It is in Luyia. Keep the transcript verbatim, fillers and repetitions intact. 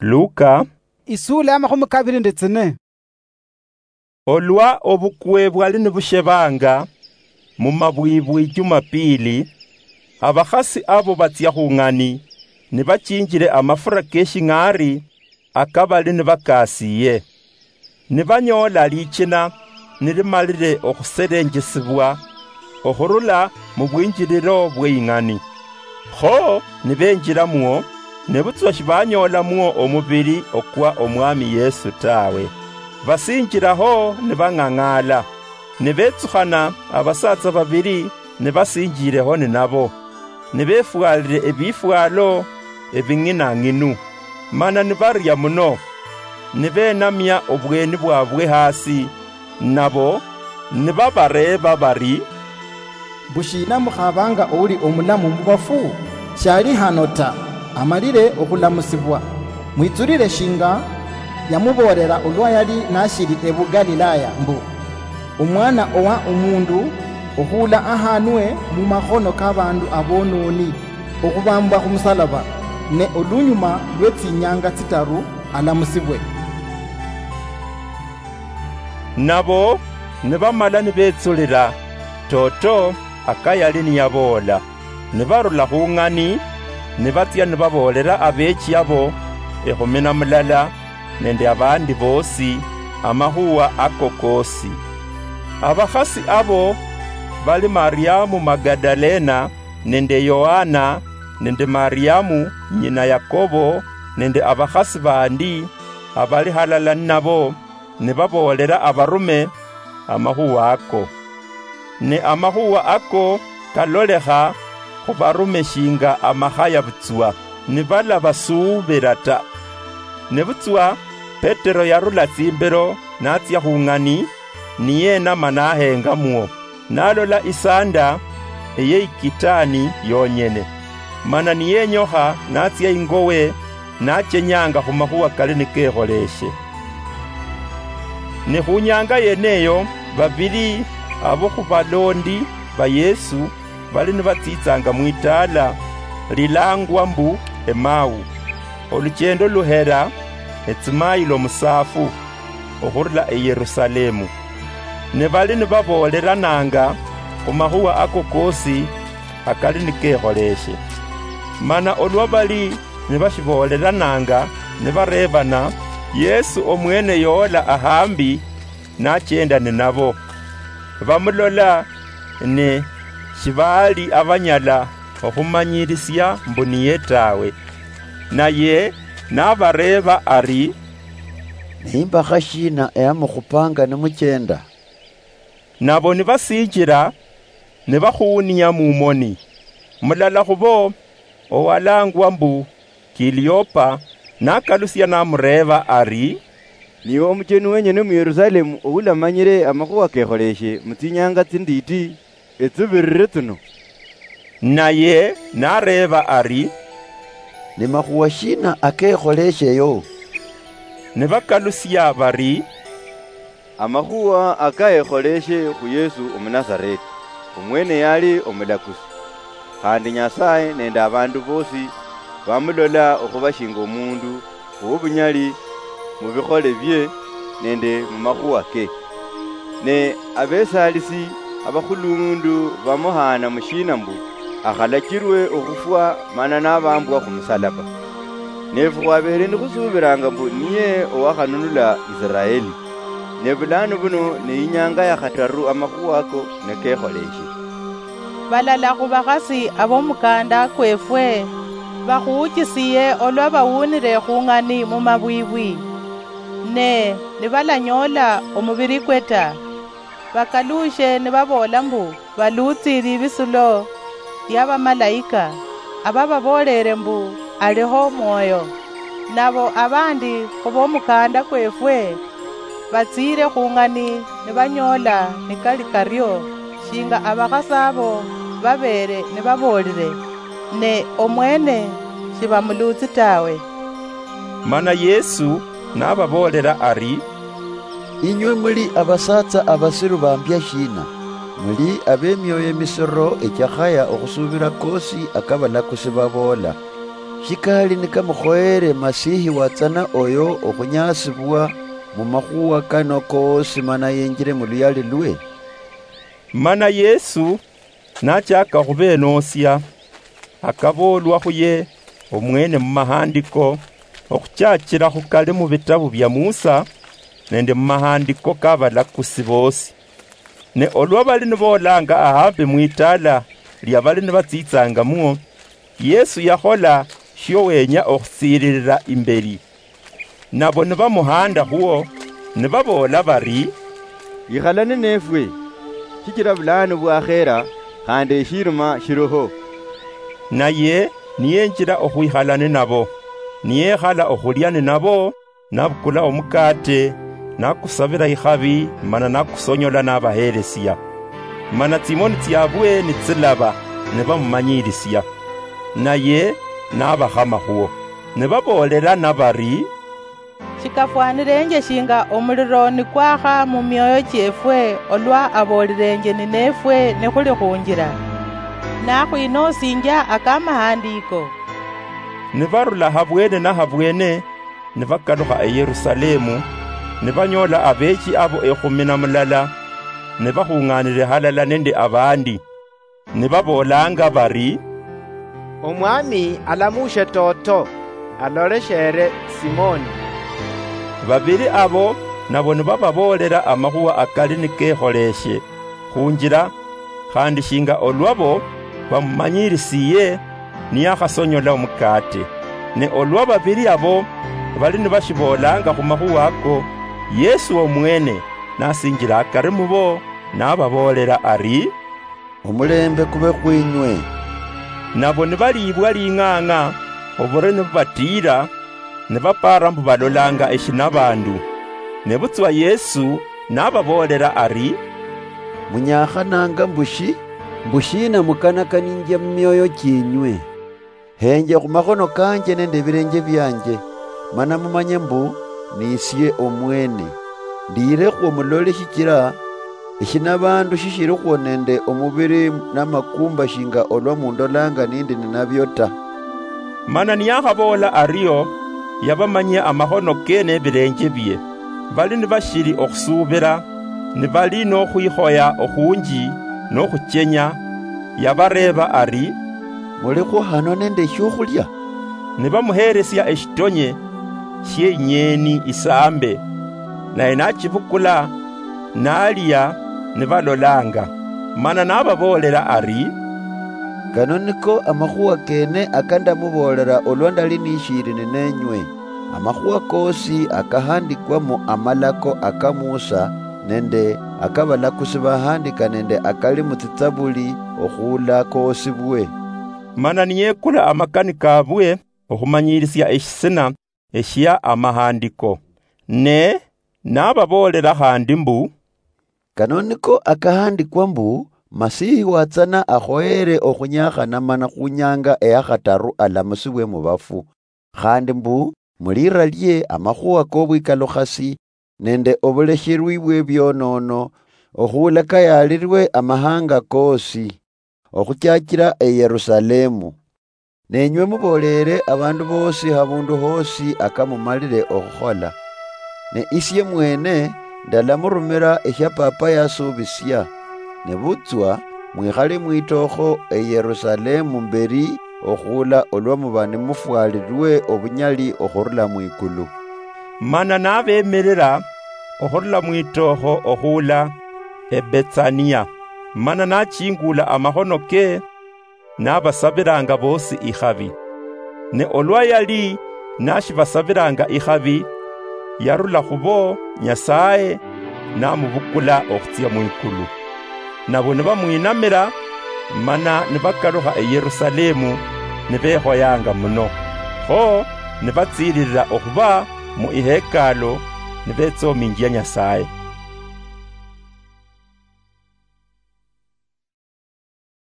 Luka, isuula ya makhumi kabiri nende tsine. Olwa obukwe bwali nibushebanga, mu mabwibwi Jumapili, abakhasi abo batsia khung'ani, nibachinjile amafura keshing'ari akabali nibakasiye. Nibanyoola lichina nilimalile okhuselenjesibwa okhurula mu bwinjililo bwe ing'ani. Kho nibenjilamwo, nebutswa shibanyoolamwo omubili okwa Omwami Yesu tawe. Basinjilaho nibang'ang'ala. Nibetsukhana abasaatsa babili nibasinjileho ninabo, nibefwalile ebifwalo ebing'inang'inu, mana nibaria muno, nibenamia obweni bwabwe hasi, nabo nibabareeba bari, "Mbu shiina mukhabanga ouli omulamu mubafu? Shali hano ta, amalile okhulamusibwa. Mwitsulile shinga yamuboolela olwa yali nashili ebu Galilaya mbu, 'Omwana owa omundu okhuula ahanwe mumakhono kabandu abononi, okhubambwa khumusalaba, ne olunyuma lwetsinyanga tsitaru alamusibwe.'" Nabo nibamala nibetsulila, toto akayali niyaboola. Nibarula khung'ani, nibatsia nibaboolera abeechi abo ekhumi na mulala nende abandi boosi amakhuwa ako koosi. Abakhasi abo bali Mariamu Magadalena nende Yohana nende Mariamu nyina Yakobo nende abakhasi bandi abali halala ninabo, nibaboolera abarume amakhuwa ako. Ne amakhuwa ako kalolekha khubarume shinga amakhaya butswa, nibalabasuubila ta. Nebutswa Petero yarula tsimbelo natsia khung'ani, niyenama nahengamwo, nalola isanda eyeyikitani yonyene. Mana niyenyokha natsia ingowe, nachenyanga khumakhuwa kali nikekholeshe. Ne khunyanga yeneyo, babili abo khubalondi ba Yesu bali nibatsitsanga mwitaala lilangwa mbu Emau, oluchendo luhera etsimailo musaafu okhurula eYerusalemu. Ne bali nibaboolerananga khumakhuwa ako koosi akali nikekholeshe. Mana olwa bali nibashiboolerananga nibareebana, Yesu omwene yoola ahambi nachenda ninabo. Bamulola, ne shibaali abanyala okhumanyirisia mbu niye tawe. Naye nabareeba ari, "Nimbakha shiina eyamukhupanga nimuchenda?" Nabo nibasinjila, nibakhuunia mumoni. Mulala khubo, owalangwa mbu Kiliopa, nakalusia namureeba ari, "Niwe omucheni wenyene mu Yerusalemu oulamanyire amakhuwa kekholeshe mu tsinyanga tsindiiti etsibirire tsino?" Naye nareeba ari, "Ni makhuwa shiina akekholesheyo?" Nibakalusia bari, "Amakhuwa akayekholeshe khu Yesu Omunasareti, omwene yali omulakusi, khandi Nyasaye nende abandu bosi bamulola okhuba shinga omundu owobunyali mu bikhole bie nende mu makhuwa ke. Ne abesalisi abakhulundu bamuhaana mushiina mbu akhalachirwe okhufwa mana nabambwa khumusalaba. Nefu khwabeele nikhusuubiranga mbu niye owakhanunula Isiraeli. Ne bulano buno ne inyanga ya khataru amakhuwa ako nekekholeshe." Balala khubakhasi abomukanda kwefwe bakhuuchisiye olwa bawunire khung'ani mumabwibwi, ne nibalanyoola omubirikwe ta, bakaluushe nibaboola mbu baluutsile ebisulo bia bamalaika, abababoolele mbu aliho omwoyo. Nabo abandi khubomukanda kwefwe batsiile khung'ani nibanyoola nikali kario, shinga abakhasi abo babeele nibaboolile, ne omwene shibamuluutsi tawe. Mana Yesu nababoolela ari, "Inywe muli abasaatsa abasiru bambia shiina? Muli abemioyo emisiro echakhaya okhusuubila koosi akabalakusi baboola. Shikali nikamukhoyere Masihi watsana oyo okhunyaasibwa mumakhuwa kano koosi mana yenjire muluyali lwe?" Mana Yesu nachaka okhubeenoosia, akaboolwa khuye omwene mumahandiko, okhuchachira khukali mubitabu bia Musa nende mumahandiko kabalakusi boosi. Ne olwa bali niboolanga ahambi mwitaala lia bali nibatsitsangamwo, Yesu yakhola shio wenya okhutsiililila imbeli. Nabo nibamuhanda khuo, nibaboola bari, "Ikhala ninefwe, shichila bulaanu bwakhera, khandi eshirima shiliho." Naye niyenjila okhwikhala ninabo, niyekhala okhulia ninabo, nabukula omukate, nakusabila ikhabi, mana nakusonyola nabahelesia. Mana tsimoni tsiabwe nitsilaba, nibamumanyilisia. Naye nabakhama khuo. Nibaboolelana bari, "Shikafwanilenje shinga omuliro nikwakha mu mioyo chiefwe olwa abolilenje ninefwe nikhuli khunjila, nakhwinoosinjia akamahandiko." Nibarula habwene na habwene, nibakalukha e Yerusalemu, nibanyoola abeechi abo ekhumi na mulala, nibakhung'aanile halala nende abandi, nibaboolanga bari, "Omwami alamuushe toto, alolesheere Simoni." Babili abo nabo nibababoolela amakhuwa akali nikekholeeshe khunjila, khandi shinga olwabo bamumanyilisiye niyakhasonyola omukate. Ne olwa babili abo bali nibashiboolanga khumakhuwa ako, Yesu omwene nasinjila akari mubo, nababoolela ari, "Omulembe kube khwinywe." Nabo nibaliibwa ling'ang'a obure nibubatiira, nibapaara mbu balolanga eshinabaandu. Nebutswa Yesu nababoolela ari, "Munyaakhananga mbu shi? Mbu shiina mukanakaninjia mumioyo chienywe? Henje khumakhono kanje nende ebilenje bianje, mana mumanye mbu nisie omwene. Ndiirekhwo mulole shichila eshinabaandu shishilikhwo nende omubili namakumba shinga olwa mundolanga nindi ninabio ta." Mana niyakhaboola ario, yabamanyia amakhono ke nebilenje bie. Bali nibashili okhusuubila, nibali nokhwikhoya okhunji nokhuchenya, yabareeba ari, "Mulikhwo hano nende eshiokhulia?" Nibamuheelesia eshitonye shieinyeeni isaambe, naye nachibukula, nalia, nibalolanga. Mana nababoolela ari, "Kano niko amakhuwa kene akandamuboolela olwa ndali nishiili nineenywe, amakhuwa koosi akahandikwa mu amalako aka Musa nende akabalakusi bahandika nende akali mutsitsabuli okhuula koosibwe." Mana niyekula amakani kabwe okhumanyilisia eshisina eshia amahandiko, ne nababoolela khandi mbu, "Kano niko akahandikwa mbu, Masihi watsana akhoyere okhunyakhana mana khunyanga eyakhataru alamusibwe mubafu, khandi mbu, mulira lie amakhuwa kobwikalukhasi nende obulesherwi bwebionono, okhuula kayaalirwe amahanga koosi, okhuchachira e Yerusalemu. Nenywe muboolere abandu boosi habundu hoosi akamumalire okhukhola. Ne isie mwene ndalamurumira eshia Papa yasuubisia. Nebutswa mwikhale mwitookho e Yerusalemu mberi okhuula olwa muba nimufwalirwe obunyali okhurula mwikulu." Mana nabemirira okhurula mwitookho okhuula e Betsania, mana nachingula amakhono ke, nabasabilanga boosi ikhabi. Ne olwa yali nashibasabilanga ikhabi, yarula khubo Nyasaye, namubukula okhutsia mwikulu. Nabo nibamwinamira, mana nibakalukha e Yerusalemu, nibekhoyanga muno. Kho nibatsililila okhuba mu ihekalu, nibetsominjia Nyasaye.